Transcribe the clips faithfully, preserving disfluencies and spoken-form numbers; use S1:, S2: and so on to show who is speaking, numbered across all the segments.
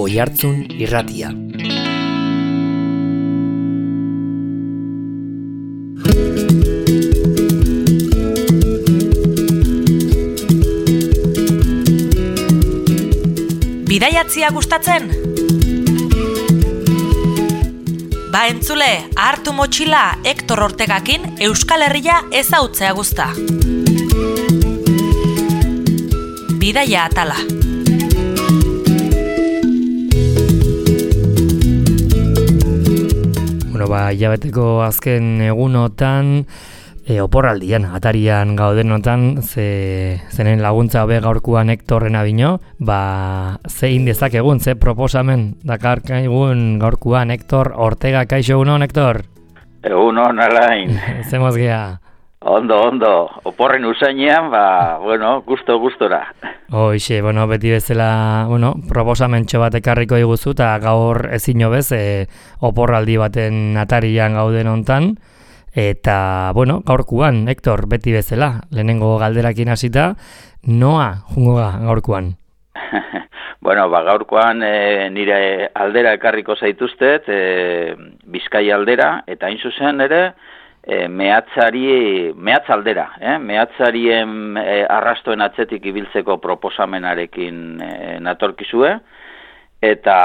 S1: Oihartzun Irratia.
S2: Bidaiatzia gustatzen? Ba entzule, hartu motxila Hektor Ortegakin Euskal Herria ezautzea guzta. Bidaia atala.
S1: Bueno, ba, hilabeteko azken egunotan, e, oporraldian, atarian gaudenotan, ze, zenen laguntza hobe gaurkuan Hektorren abino, ba, zein dezakegun, ze proposamen dakarkaigun gaurkuan Hektor Ortega. Kaixo, egunon, Hektor?
S3: Egunon, Alain.
S1: Zemoz gea.
S3: Ondo, ondo. Oporren usainean, ba, bueno, gusto, gustora.
S1: Hoixe, bueno, beti bezala, bueno, proposamentxo bat ekarriko iguzu, eta gaur ezin hobez, e, oporraldi baten atarian gauden hontan, eta, bueno, gaurkuan, Hektor, beti bezala, lehenengo galderakin hasita, noa jungo ga gaurkuan?
S3: Bueno, ba, gaurkoan e, nire aldera ekarriko zaituztet, e, Bizkaia aldera, eta hain zuzen ere, E, mehatzari, mehatz aldera, eh? mehatzarien e, arrastoen atzetik ibiltzeko proposamenarekin e, natorkizue, eta,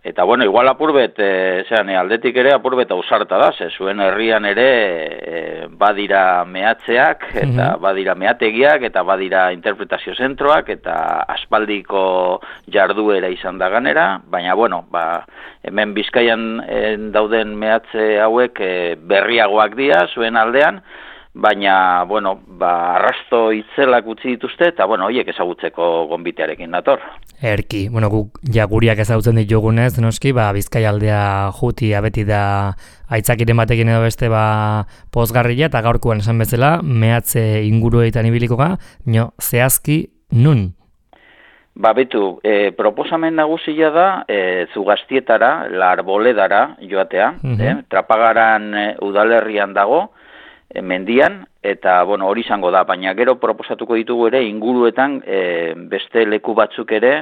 S3: eta bueno, igual apurbet, e, zean, e, aldetik ere apurbet ausarta da, ze zuen herrian ere e, badira mehatzeak, eta badira mehategiak, eta badira interpretazio zentroak, eta aspaldiko jarduera izan da ganera, baina, bueno, ba, hemen Bizkaian en, dauden mehatze hauek e, berriagoak dira zuen aldean, baina, bueno, ba, arrasto itzelak utzi dituzte, eta, bueno, horiek ezagutzeko gonbitearekin nator.
S1: Erki, bueno, guk ja guriak ezagutzen ditugunez, noski, ba, Bizkaia aldea jutia beti da aitzakiren batekin edo beste ba pozgarria, eta gaurkoan esan bezala, mehatze inguruetan ibiliko ga, no, zehazki nun?
S3: Ba, betu, e, proposamen nagusia da e, Zugaztietara, La Arboledara joatea, uh-huh. eh? Trapagaran e, udalerrian dago, e, mendian, eta bueno, hori izango da, baina gero proposatuko ditugu ere inguruetan e, beste leku batzuk ere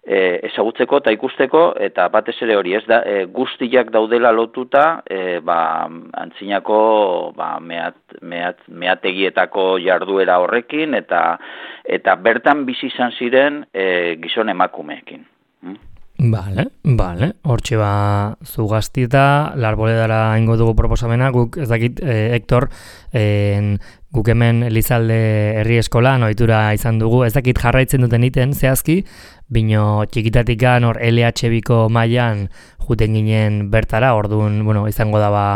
S3: e, ezagutzeko eta ikusteko, eta batez ere hori, ez da, e, guztiak daudela lotuta, e, ba, antzinako ba, mehat, mehat, mehategietako jarduera horrekin, eta eta bertan bizi izan ziren e, gizon emakumeekin. Hmm?
S1: Bale, bale, hortxe ba Zugaztieta, La Arboledara ingo dugu proposamena, guk ez dakit, eh, Hektor, eh, guk hemen Elizalde herri eskolan ohitura izan dugu, ez dakit jarraitzen duten iten, zehazki, bino txikitatikan hor L H biko mailan juten ginen bertara, orduan, bueno, izango da ba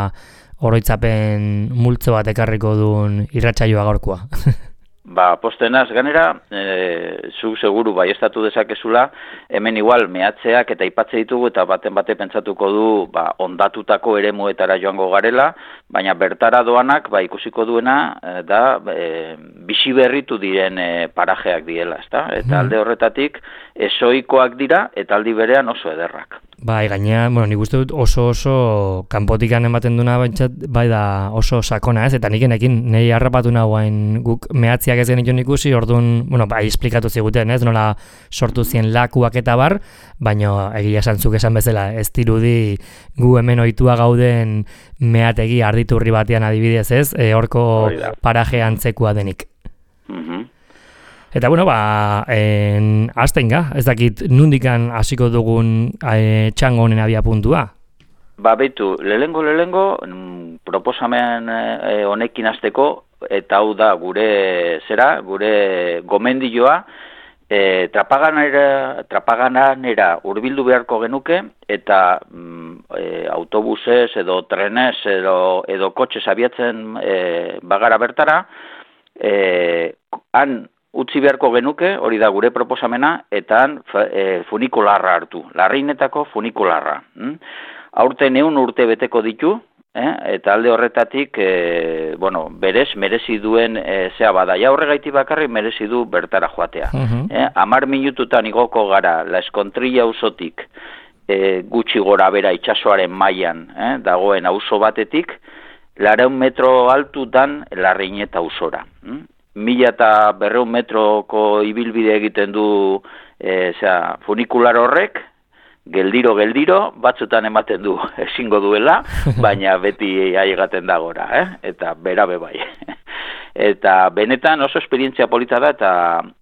S1: oroitzapen multzo bat ekarriko duen irratsaioa gaurkoa.
S3: Ba, postenaz, ganera, e, zu seguru baiestatu dezakezula, hemen igual mehatzeak eta aipatze ditugu eta baten bate pentsatuko du ba, ondatutako eremuetara joango garela, baina bertara doanak ba, ikusiko duena e, da e, bizi berritu diren e, parajeak diela, ezta? Eta alde horretatik ezoikoak dira eta aldi berean oso ederrak.
S1: Bai, gainea, bueno, nik uste dut oso oso kanpotikan ematen duna baintzat, bai da oso sakona, ez? Eta nikenekin nahi harrapatu nagoen guk mehatziak ez genituen ikusi, orduan, bueno, bai, esplikatu ziguten, ez? Nola sortu zien lakuak eta bar, baina egia esantzuk esan bezala, ez dirudi gu hemen ohitua gauden mehategi arditurri batean adibidez, ez? E, horko paraje antzekoa denik.
S3: Mhm.
S1: Eta bueno, ba, en, azten ga, ez dakit nundikan hasiko dugun e, txango honen abia puntua?
S3: Ba, betu, lehengo, lehengo, proposamen e, honekin hasteko, eta hau da gure zera, gure gomendioa, e, trapaganera, trapaganera hurbildu beharko genuke, eta mm, e, autobusez edo trenez edo, edo kotxez abiatzen e, bagara bertara, e, han utzi beharko genuke, hori da gure proposamena, eta e, funikularra hartu, larreinetako funikularra. Hm? Aurten ehun urte beteko ditu, eh? Eta alde horretatik, e, bueno, berez, merezi duen e, zea bada. Ja horregaiti bakarrik merezi du bertara joatea. Uh-huh. eh? Amar minututan igoko gara, La Eskontrilla auzotik, e, gutxi gora bera itsasoaren mailan eh? dagoen auzo batetik, lareun metro altutan Larreineta auzora. Hm? Mila eta berreun metroko ibilbide egiten du e, zera, funikular horrek, geldiro, geldiro, batzutan ematen du ezingo duela, baina beti aigaten da gora, eh? Eta berabe bai. Eta benetan oso esperientzia polita da, eta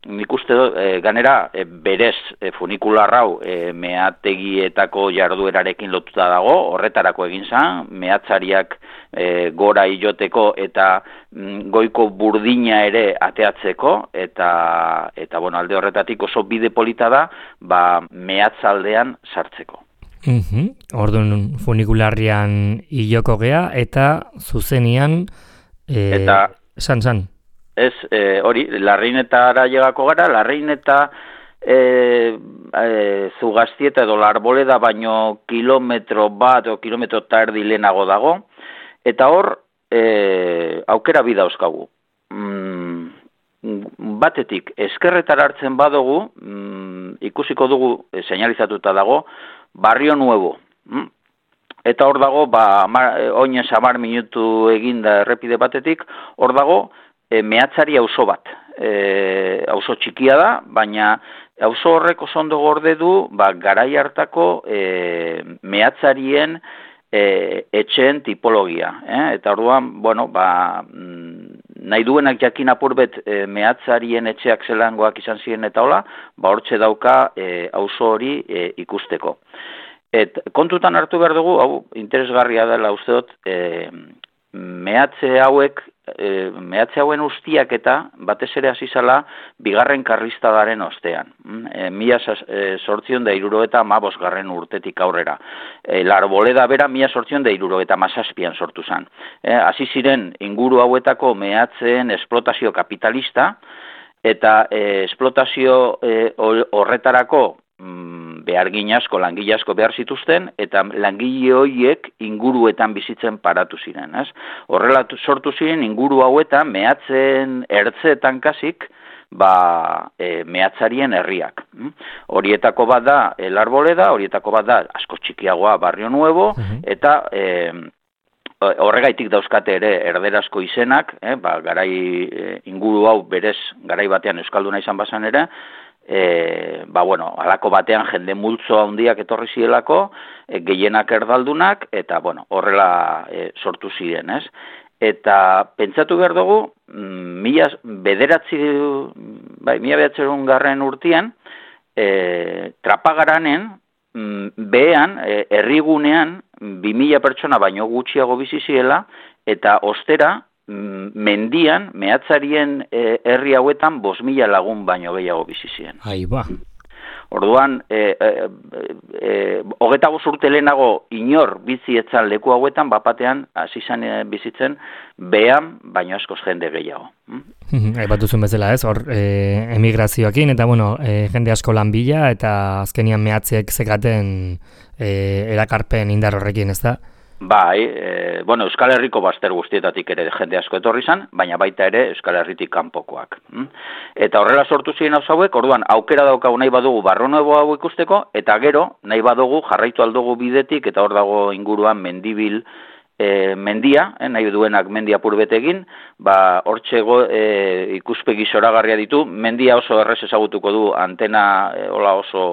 S3: nik uste dut, e, ganera, e, berez e, funikular hau e, meategietako jarduerarekin lotuta dago, horretarako egin zan, meatzariak e, gora iloteko eta mm, goiko burdina ere ateatzeko, eta, eta bueno, alde horretatik oso bide polita da, ba, meatzaldean sartzeko.
S1: Mhm. Orduan funikularrian iloko gea, eta zuzenian... E...
S3: Eta...
S1: San, san.
S3: Ez, e, hori, Larreinetara llegako gara, Larreineta e, e, Zugaztieta edo Larboleda baino kilometro bat o kilometro eta erdi lehenago dago, eta hor e, aukera bi dauzkagu. Mm, batetik, eskerretara hartzen badugu, mm, ikusiko dugu, e, seinalizatuta dago, Barrio Nuevo. Mm? Eta hor dago, ba, oinez hamar minutu eginda errepide batetik, hor dago, e, mehatzari auzo bat. E, auzo txikia da, baina auzo horrek oso ondo gorde du, ba, garai hartako e, mehatzarien e, etxeen tipologia. Eh? Eta orduan, bueno, ba, nahi duenak jakin apurbet e, mehatzarien etxeak zelangoak izan ziren eta hola, ba, hortxe dauka e, auzo hori e, ikusteko. Et kontutan hartu behar dugu, hau interesgarria dela uste dut, e, mehatze hauek, e, mehatze hauen ustiak eta batez ere hasi zala bigarren karlistadaren ostean. E, mila sortzion da iruro eta mabos garren urtetik aurrera. E, Larboleda bera mila sortzion da iruro eta mazazpian sortu zen. E, hasi ziren inguru hauetako mehatzeen esplotazio kapitalista, eta e, esplotazio e, horretarako behargin asko, langile asko behar zituzten, eta langile horiek inguruetan bizitzen paratu ziren. Ez? Horrela sortu ziren inguru hauetan, mehatzen ertzeetan kasik, ba, e, mehatzarien herriak. Horietako bat da El Arboleda, horietako bat da asko txikiagoa Barrio Nuevo, eta e, horregaitik dauzkate ere erderazko izenak, eh, ba, garai e, inguru hau berez garai batean euskalduna izan bazan ere, E, ba, bueno, alako batean jende multzo handiak etorri zielako, e, gehienak erdaldunak, eta, bueno, horrela e, sortu ziren, ez? Eta pentsatu behar dugu, mila bederatzi, bai, mila bederatzerun garren urtean, e, Trapagaranen, behean, e, herrigunean, bi mila pertsona baino gutxiago bizi ziela, eta ostera, mendian, mehatzarien e, herri hauetan, bost mila lagun baino gehiago bizi ziren.
S1: Ai, ba.
S3: Orduan, e, e, e, hogeta bost urte lehenago inor bizi etzan leku hauetan, bapatean, hasi izan bizitzen, behan, baino askoz jende gehiago.
S1: Aipatu zuen bezala ez, hor e, emigrazioakin, eta bueno, e, jende asko lan bila, eta azkenian mehatzeek zekaten e, erakarpen indar horrekin, ez da?
S3: Bai, e, bueno, Euskal Herriko bazter guztietatik ere jende asko etorri zan, baina baita ere Euskal Herritik kanpokoak. Eta horrela sortu ziren hau hauek, orduan aukera daukagu nahi badugu Barrio Nuevo hau ikusteko, eta gero nahi badugu jarraitu aldugu bidetik, eta hor dago inguruan mendibil e, mendia, eh, nahi duenak mendia purbet egin, ba, hortxego e, ikuspegi zoragarria ditu, mendia oso errez ezagutuko du, antena e, hola oso...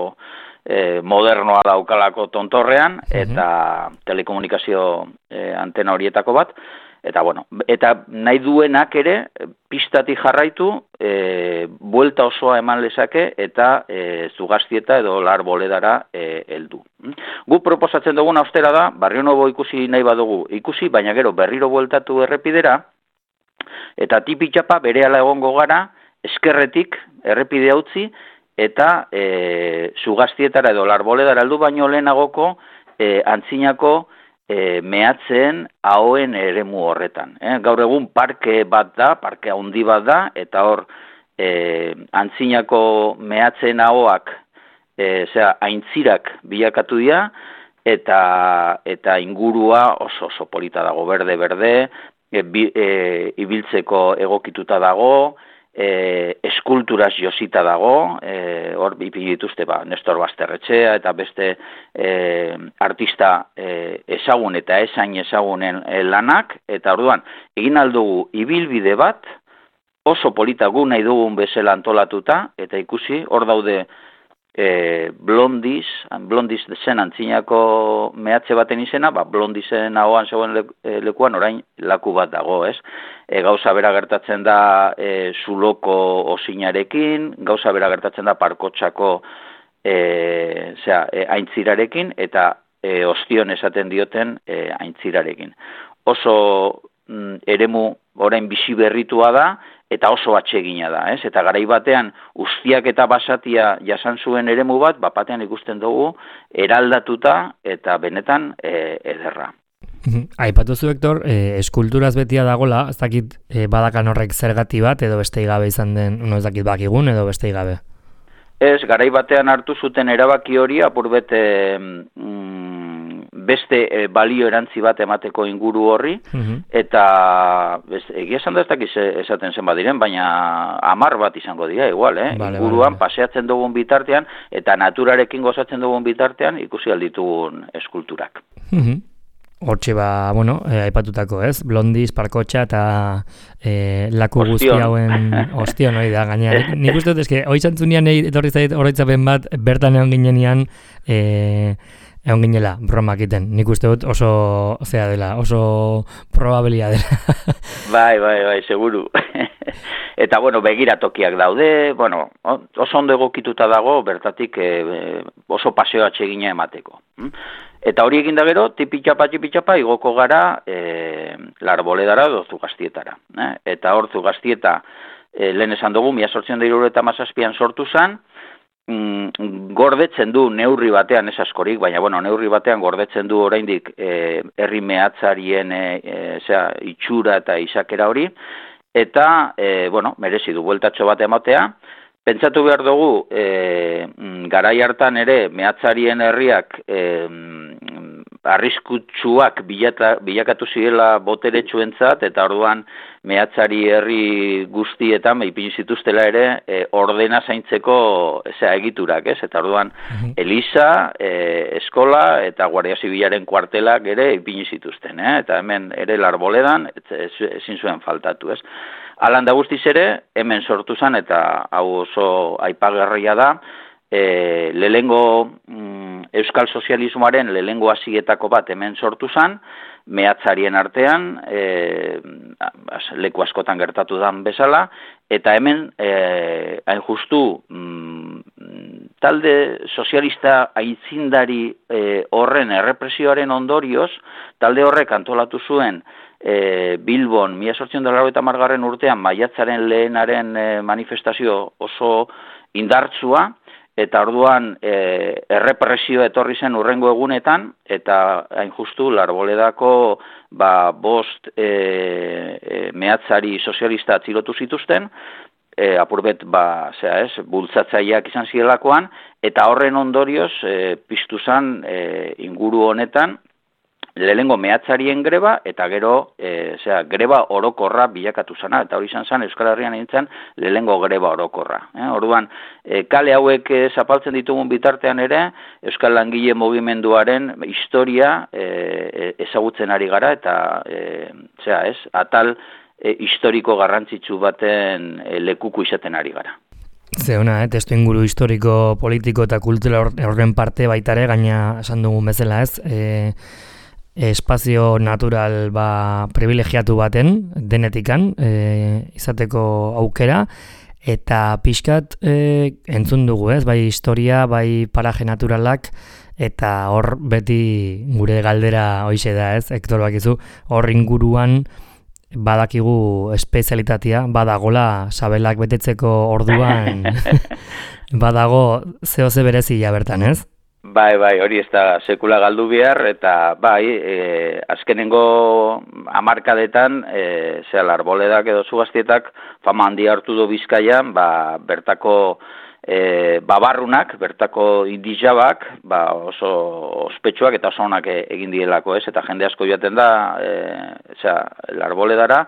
S3: E, modernoa daukalako tontorrean, eta telekomunikazio e, antena horietako bat, eta bueno, eta nahi duenak ere, pistatik jarraitu, e, buelta osoa eman lezake, eta e, Zugaztieta edo Larboledara e, heldu. Gu proposatzen duguna ostera da, Barrio Nuevo ikusi nahi badugu ikusi, baina gero berriro bueltatu errepidera, eta tipi-txapa berehala egongo gara, eskerretik errepide utzi, eta e, Zugaztietara edo Larboledara heldu baino lehenagoko e, antzinako e, mehatzen ahoen eremu horretan. Eh? Gaur egun parke bat da, parke handi bat da, eta hor e, antzinako mehatzen ahoak e, zera, aintzirak bilakatu dira, eta, eta ingurua oso oso polita dago, berde-berde, e, e, ibiltzeko egokituta dago, E, eskulturaz josita dago, e, hor ipini dituzte ba, Nestor Basterretxea eta beste e, artista e, ezagun eta esain ezagunen e, lanak, eta orduan egin aldugu ibilbide bat, oso polita gu nahi dugun bezala antolatuta, eta ikusi, hor daude e, Blondiz, Blondiz zen antzinako mehatze baten izena, ba, Blondizen ahoan zegoen le, e, lekuan orain laku bat dago, ez? E, gauza bera gertatzen da e, Zuloko osinarekin, gauza bera gertatzen da Parkotxako e, zera, e, aintzirarekin, eta e, Ostion esaten dioten e, aintzirarekin. Oso mm, eremu orain bizi berritua da, eta oso atsegina da, ez? Eta garai batean Ustiak eta Basatia jasan zuen eremu bat, bapatean ikusten dugu eraldatuta eta benetan e, ederra.
S1: Aipatu zu, Hector, e, eskulturaz betia dagola, ez dakit e, badakan horrek zergati bat, edo beste gabe izan den, no ez dakit bakigun, edo beste gabe?
S3: Ez, garai batean hartu zuten erabaki hori, apur bete mm, beste e, balio erantzi bat emateko inguru horri, uh-huh. eta bez, egia esan da ez dakiz esaten zen badiren, baina hamar bat izango dira, igual, eh? Vale, inguruan vale, paseatzen dugun bitartean, eta naturarekin gozatzen dugun bitartean, ikusi alditugun eskulturak.
S1: Uh-huh. Hortxe ba, bueno, eh, aipatutako, ez? Blondiz, Parkotxa eta eh, laku guzti hauen Ostion hori da, gaina. Nik uste dut, eske, hoi zantzunean etorri zait oroitzapen bat, bertan egon ginenean, eh, egon ginela, bromak iten. Nik uste dut oso, zea dela, oso probabilia dela.
S3: Bai, bai, bai, seguru. Eta, bueno, begiratokiak daude, bueno, oso ondo egokituta dago, bertatik eh, oso paseo atsegina emateko. Eta hori egin da gero, tipitxapa, tipitxapa, igoko gara e, Larboledara edo Zugaztietara. Eh? Eta hor Zugaztieta, e, lehen esan dugu, mila zortziehun eta hirurogeita hamazazpian sortu zen, mm, gordetzen du neurri batean, ez askorik, baina bueno, neurri batean gordetzen du oraindik e, herri mehatzarien e, e, zera, itxura eta izakera hori, eta, e, bueno, merezi du bueltatxo bat ematea. Pentsatu behar dugu, e, garai hartan ere, mehatzarien herriak e, arriskutsuak bilata, bilakatu zirela boteretsuentzat, eta orduan mehatzari herri guztietan ipini zituztela ere e, ordena zaintzeko zera, egiturak, ez? Eta orduan uh-huh. Eliza, e, eskola eta Guardia Zibilaren kuartelak ere ipini zituzten, eh? Eta hemen ere Larboledan ezin zuen faltatu, ez? Alan da guztiz ere, hemen sortu zen, eta hau oso aipagarria da, e, lehengo mm, Euskal Sozialismoaren lehengo hasietako bat hemen sortu zen, mehatzarien artean, e, leku askotan gertatu dan bezala, eta hemen, e, hain justu, mm, talde sozialista aitzindari e, horren errepresioaren ondorioz, talde horrek antolatu zuen, E, Bilbon, mila zortziehun eta laurogeita hamargarren urtean, maiatzaren lehenaren e, manifestazio oso indartsua, eta orduan e, errepresio etorri zen urrengo egunetan, eta hain justu Larboledako ba, bost e, e, mehatzari sozialista atzilotu zituzten, e, apurbet ba, zera ez, bultzatzaileak izan zirelakoan, eta horren ondorioz e, piztu zen e, inguru honetan, lehengo mehatzarien greba, eta gero, e, zera, greba orokorra bilakatu zana, eta hori izan zen Euskal Herrian nintzen lehengo greba orokorra. Eh? Orduan, e, kale hauek e, zapaltzen ditugun bitartean ere, Euskal Langile Mugimenduaren historia e, ezagutzen ari gara, eta e, zera, ez, atal e, historiko garrantzitsu baten e, lekuko izaten ari gara.
S1: Zeuna, eh, testu inguru historiko, politiko eta kultura horren parte baitare, gaina esan dugun bezala, ez, e, espazio natural ba, privilegiatu baten, denetikan, e, izateko aukera, eta pixkat e, entzun dugu, ez? Bai historia, bai paraje naturalak, eta hor beti gure galdera hoixe da, ez? Hector, bakizu, hor inguruan badakigu espezialitatea, badagola sabelak betetzeko orduan, badago zehose berezia bertan, ez?
S3: Bai, bai, hori ez da sekula galdu behar, eta bai, e, azkenengo hamarkadetan, e, zera Larboledak edo Zugaztietak fama handi hartu du Bizkaian, ba, bertako e, babarrunak, bertako indizabak, ba, oso ospetsuak eta oso onak egin dielako, ez? Eta jende asko joaten da, e, zera, Larboledara,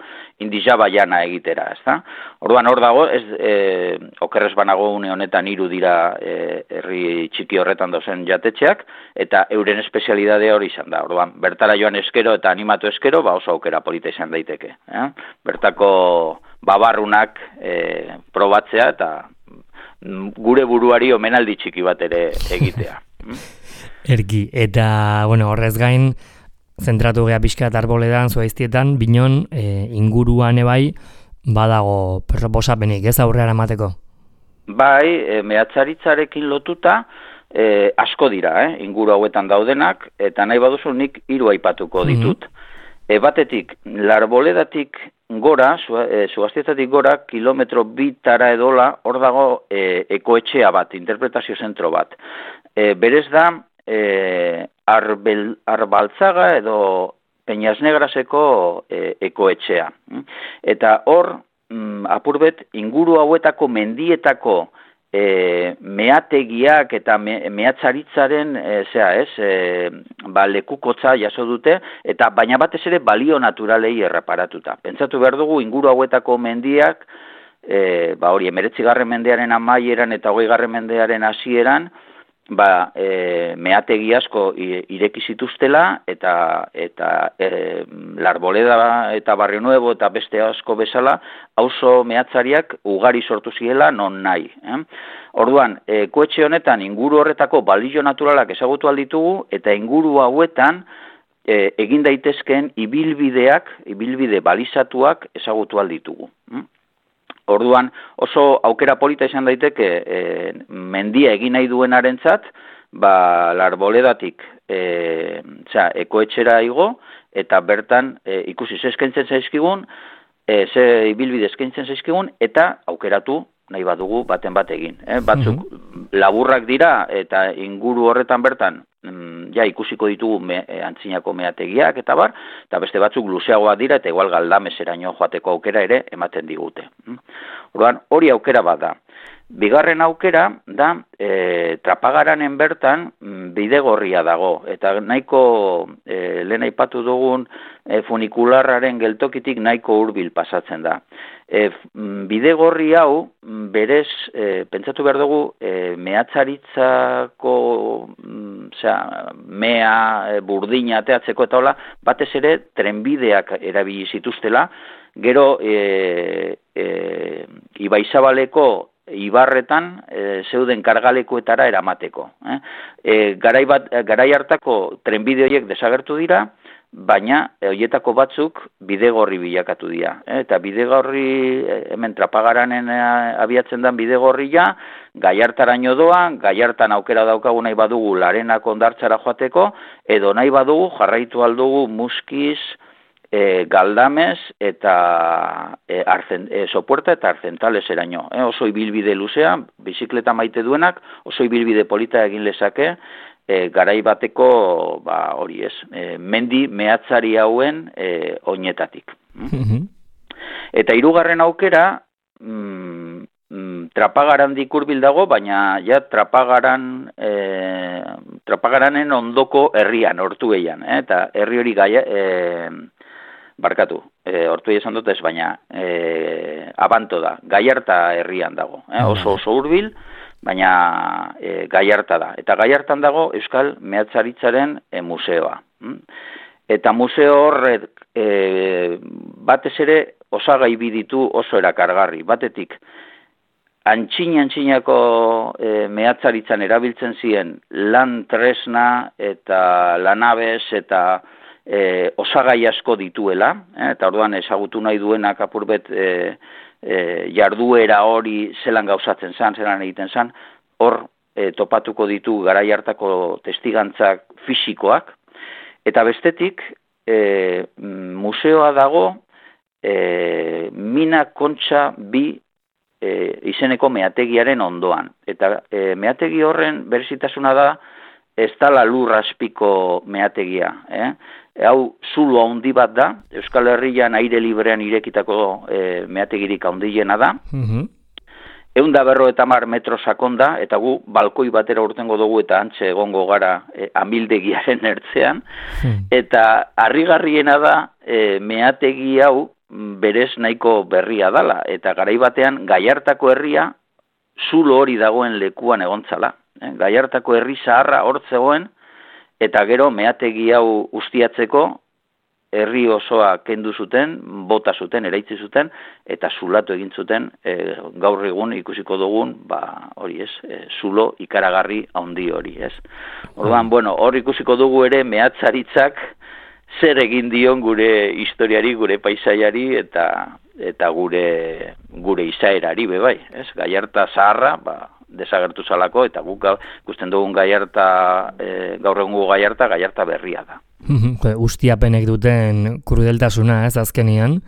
S3: indizaba jana egitera, ez da? Orduan hor dago, ez, e, okerrez banago une honetan hiru dira e, herri txiki horretan dozen jatetxeak, eta euren espezialidadea hori izan da. Orduan, bertara joan eskero eta animatu eskero, ba oso aukera polita izan daiteke. Eh? Bertako babarrunak e, probatzea eta gure buruari omenaldi txiki bat ere egitea.
S1: Erki, eta bueno, horrez gain, zentratu gea pixkat arboledan, zuaiztietan, binon e, inguruan ebai, badago proposapenik, ez aurrera emateko?
S3: Bai, e, mehatzaritzarekin lotuta, e, asko dira, eh, inguru hauetan daudenak, eta nahi baduzu nik hiru aipatuko ditut. Mm-hmm. E, batetik, Larboledatik gora, Zuaztietatik gora, kilometro bitara edola, hor dago e, ekoetxea bat, interpretazio zentro bat. E, berez da, e, arbel, arbaltzaga edo Peñasnegraseko e, ekoetxea. Eta hor, mm, apurbet, inguru hauetako mendietako e, meategiak eta me, mehatzaritzaren e, zera, ez, e, ba, lekukotza jaso dute, eta baina batez ere balio naturalei erreparatuta. Pentsatu behar dugu, inguru hauetako mendiak, e, ba, hori, emeretzigarren mendearen amaieran eta hogeigarren mendearen hasieran, ba, e, meategi asko ireki zituztela, eta, eta e, Larboleda eta Barrio Nuevo eta beste asko bezala, auzo mehatzariak ugari sortu ziela non nahi. Eh? Orduan, e, koetxe honetan inguru horretako balio naturalak ezagutu alditugu, eta inguru hauetan e, egin daitezkeen ibilbideak, ibilbide balizatuak ezagutu alditugu. Eh? Orduan, oso aukera polita izan daiteke e, mendia egin nahi duenarentzat, ba, Larboledatik e, za, ekoetxera igo, eta bertan e, ikusi ze eskaintzen zaizkigun, e, ze ibilbide eskaintzen zaizkigun, eta aukeratu nahi badugu baten bat egin. Eh? Batzuk mm-hmm. laburrak dira, eta inguru horretan bertan, mm, ja ikusiko ditugu me, e, antzinako meategiak, eta bar, eta beste batzuk luzeagoa dira, eta igual Galdameseraino joateko aukera ere ematen digute. Orduan, hori aukera bat da. Bigarren aukera da, e, Trapagaranen bertan bidegorria dago, eta nahiko e, lehen aipatu dugun e, funikularraren geltokitik nahiko hurbil pasatzen da. E, bidegorri hau, berez, e, pentsatu behar dugu, e, mehatzaritzako, osea, mea, e, burdina ateatzeko eta hola, batez ere trenbideak erabili zituztela, gero e, e, Ibaizabaleko ibarretan e, zeuden kargalekuetara eramateko. Eh? E, garai, bat, garai hartako trenbide horiek desagertu dira, baina horietako batzuk bidegorri bilakatu dira. Eh? Eta bidegorri, hemen Trapagaranen abiatzen den bidegorria, Gaiartaraino doa, Gaiartan aukera daukagu nahi badugu Larenako hondartzara joateko, edo nahi badugu jarraitu aldugu Muskiz, E, Galdames eta e, arzen, e, Sopuerta eta Arzentales eraino. E, oso ibilbide luzea, bizikleta maite duenak, oso ibilbide polita egin lezake, e, garai bateko, ba, hori ez, e, mendi mehatzari hauen e, oinetatik. Mm-hmm. Eta hirugarren aukera, mm, mm, Trapagarandik hurbil dago, baina ja Trapagaran, e, Trapagaranen ondoko herrian, Ortuellan, eh? Eta herri hori gaia... E, barkatu, e, hortu esan dut ez, baina e, Abanto da, Gaiarta herrian dago, eh? oso oso hurbil, baina e, Gaiarta da. Eta Gaiartan dago Euskal Mehatzaritzaren e, museoa. Eta museo horrek e, batez ere osagai biditu oso erakargarri. Batetik, antxin-antxinako e, mehatzaritzan erabiltzen ziren lan tresna eta lanabez eta E, osagai asko dituela, eh, eta orduan ezagutu nahi duenak apurbet e, e, jarduera hori zelan gauzatzen zan, zelan egiten zan, hor e, topatuko ditu garai hartako testigantzak fisikoak, eta bestetik e, museoa dago e, Mina Kontxa bi e, izeneko meategiaren ondoan, eta e, meategi horren berezitasuna da ez dala lur azpiko meategia, eh? Hau zulo handi bat da, Euskal Herrian aire librean irekitako e, meategirik handiena da. Mm-hmm. Ehun da berrogeita hamar metro sakonda, eta gu balkoi batera urtengo dugu eta antxe egongo gara e, amildegiaren ertzean. Mm. Eta harrigarriena da e, meategi hau berez nahiko berria dala, eta garai batean Gaiartako herria zulo hori dagoen lekuan egontzala. Eh? Gaiartako herri zaharra hor zegoen, eta gero meategi hau ustiatzeko herri osoa kendu zuten, bota zuten, eraitzi zuten, eta zulatu egin zuten, e, gaur egun ikusiko dugun, ba, hori ez, e, zulo ikaragarri handi hori, ez. Orduan, bueno, hor ikusiko dugu ere mehatzaritzak zer egin dion gure historiari, gure paisaiari, eta eta gure gure izaerari be bai, ez? Gallarta zaharra, ba, desagertu zalako, eta guk ikusten dugun Gallarta, e, gaur egungo Gallarta, Gallarta berria da.
S1: Ustiapenek duten krudeltasuna, ez, azkenian?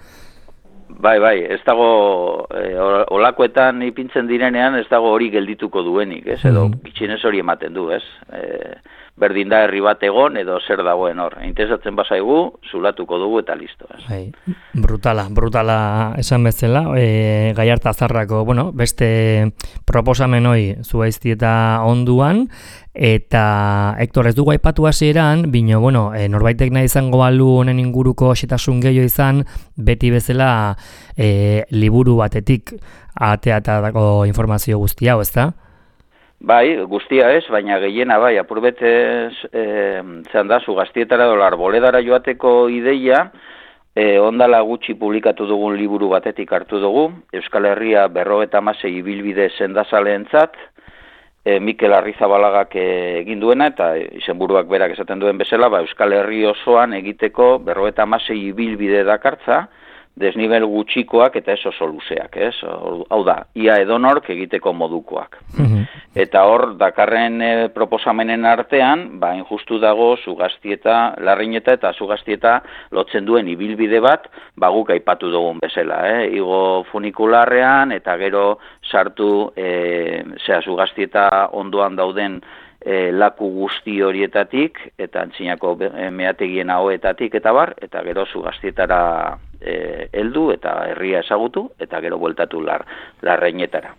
S3: Bai, bai, ez dago, e, olakoetan ipintzen direnean, ez dago hori geldituko duenik, ez? Edo, bitxinez hori ematen du, ez? E, berdin da herri bat egon, edo zer dagoen hor. Interesatzen bazaigu, zulatuko dugu eta listo, ez?
S1: Bai, brutala, brutala esan bezala, e, Gallarta zarrako, bueno, beste proposamen hoi zuaizti eta onduan, eta Hektor ez dugu aipatu hasieran, bino, bueno, e, norbaitek nahi izango balu honen inguruko xetasun gehiago izan, beti bezala e, liburu batetik ateatako informazio guzti hau, ezta?
S3: Bai, guztia ez, baina gehiena bai, apurbetez, e, zehan da, Zugaztietara edo Arboledara joateko ideia, e, ondala gutxi publikatu dugun liburu batetik hartu dugu, Euskal Herria berrogeta hamasei ibilbide sendazaleentzat, e, Mikel Arrizabalagak egin duena, eta izenburuak berak esaten duen bezala, ba, Euskal Herri osoan egiteko berrogeta hamasei ibilbide dakartza, desnivel gutxikoak eta ez oso luzeak, ez? Hau da, ia edonork egiteko modukoak. Eta hor, dakarren e, proposamenen artean, ba, injustu dago Zugaztieta, Larrineta eta Zugaztieta lotzen duen ibilbide bat, ba, guk aipatu dugun bezala, eh? Igo funikularrean, eta gero sartu, e, zera, Zugaztieta ondoan dauden e, laku guzti horietatik, eta antzinako meategien ahoetatik, eta bar, eta gero Zugaztietara e, heldu, eta herria ezagutu, eta gero bueltatu lar, Larreinetara.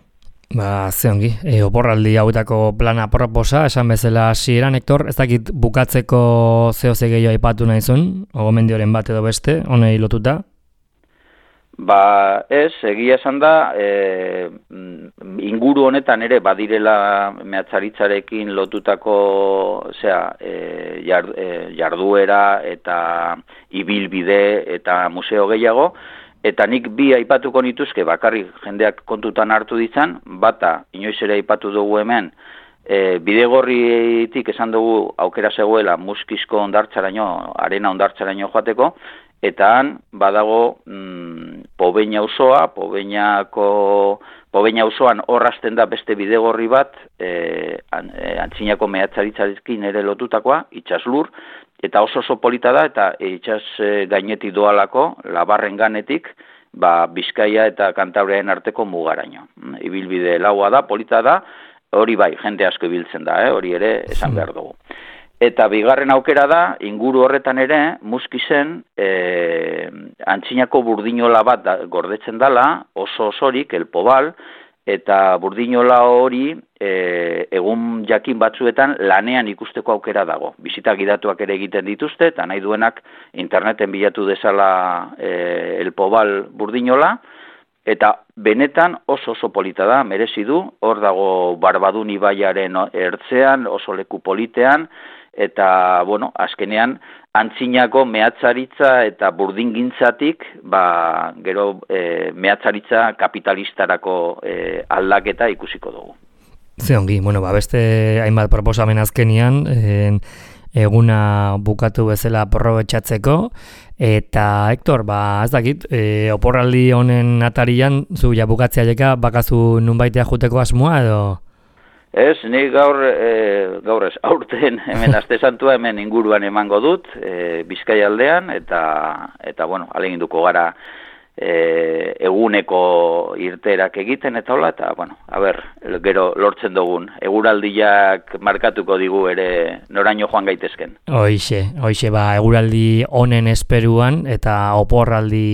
S1: Ba, ze ongi, e, oporraldi hauetako plana proposa, esan bezala hasieran, Hektor, ez dakit bukatzeko zehose gehiago aipatu nahizun, ogomendioren bat edo beste, honei lotuta?
S3: Ba, ez, egia esan da, e, inguru honetan ere badirela mehatzaritzarekin lotutako, zera, e, jard, e, jarduera eta ibilbide eta museo gehiago, eta nik bi aipatuko nituzke bakarrik jendeak kontutan hartu ditzan, bata, inoiz ere aipatu dugu hemen, e, bidegorritik esan dugu aukera zegoela Muskizko ondartzaraino, arena ondartzaraino joateko, eta han badago mm, Pobeina auzoa, Pobeinako Pobeina auzoan horrazten da beste bidegorri bat, e, an, e, antzinako mehatzaritzarekin ere lotutakoa, itsaslur, eta oso oso polita da, eta itsas e, gainetik doalako, Labarren ganetik, ba, Bizkaia eta Kantabriaren arteko mugaraino. Ibilbide laua da, polita da, hori bai, jende asko ibiltzen da, eh? Hori ere esan behar dugu. Eta bigarren aukera da, inguru horretan ere, Muskizen, e, antzinako burdinola bat da, gordetzen dala, oso osorik, El Pobal, eta burdinola hori e, egun jakin batzuetan lanean ikusteko aukera dago. Bisita gidatuak ere egiten dituzte, eta nahi duenak interneten bilatu dezala e, El Pobal burdinola, eta benetan oso oso polita da, merezi du, hor dago Barbadun ibaiaren ertzean, oso leku politean, eta, bueno, azkenean, antzinako mehatzaritza eta burdingintzatik, ba, gero e, mehatzaritza kapitalistarako e, aldaketa ikusiko dugu.
S1: Ze ongi, bueno, ba, beste hainbat proposamen azkenian, en, eguna bukatu bezala aprobetxatzeko, eta, Hektor, ba, ez dakit, e, oporraldi honen atarian, zu ja bukatzea jeka, bakazu nunbaitea juteko asmoa, edo...
S3: Ez, ni gaur, e, gaur ez, aurten hemen aste santua hemen inguruan emango dut, e, Bizkaia aldean, eta, eta bueno, aleginduko gara e, eguneko irterak egiten, eta hola, eta, bueno, a ber, gero lortzen dugun, eguraldiak markatuko digu ere noraino joan gaitezken.
S1: Hoixe, hoixe, ba, eguraldi honen esperuan, eta oporraldi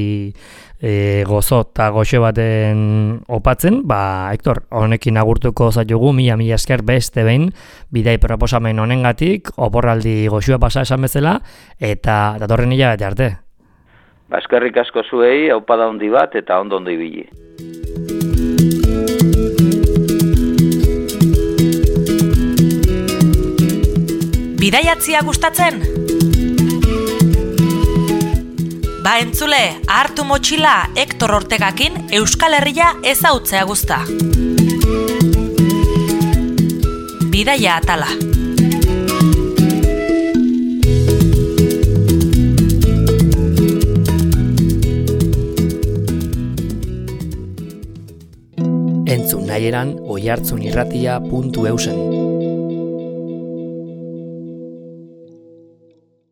S1: E, gozo eta goxo baten opatzen, ba, Hektor, honekin agurtuko zaitugu, mila mila esker beste behin, bidai proposamen honengatik, oporraldi goxua pasa esan bezala, eta datorren hilabete arte.
S3: Ba, eskerrik asko zuei, aupada handi bat, eta ondo ondo ibili.
S2: Bidaiatzia gustatzen? Ba entzule, hartu motxila Hektor Ortegakin Euskal Herria ezautzea guzta. Bidaia atala.
S1: Entzun nahieran oihartzunirratia puntu eusen.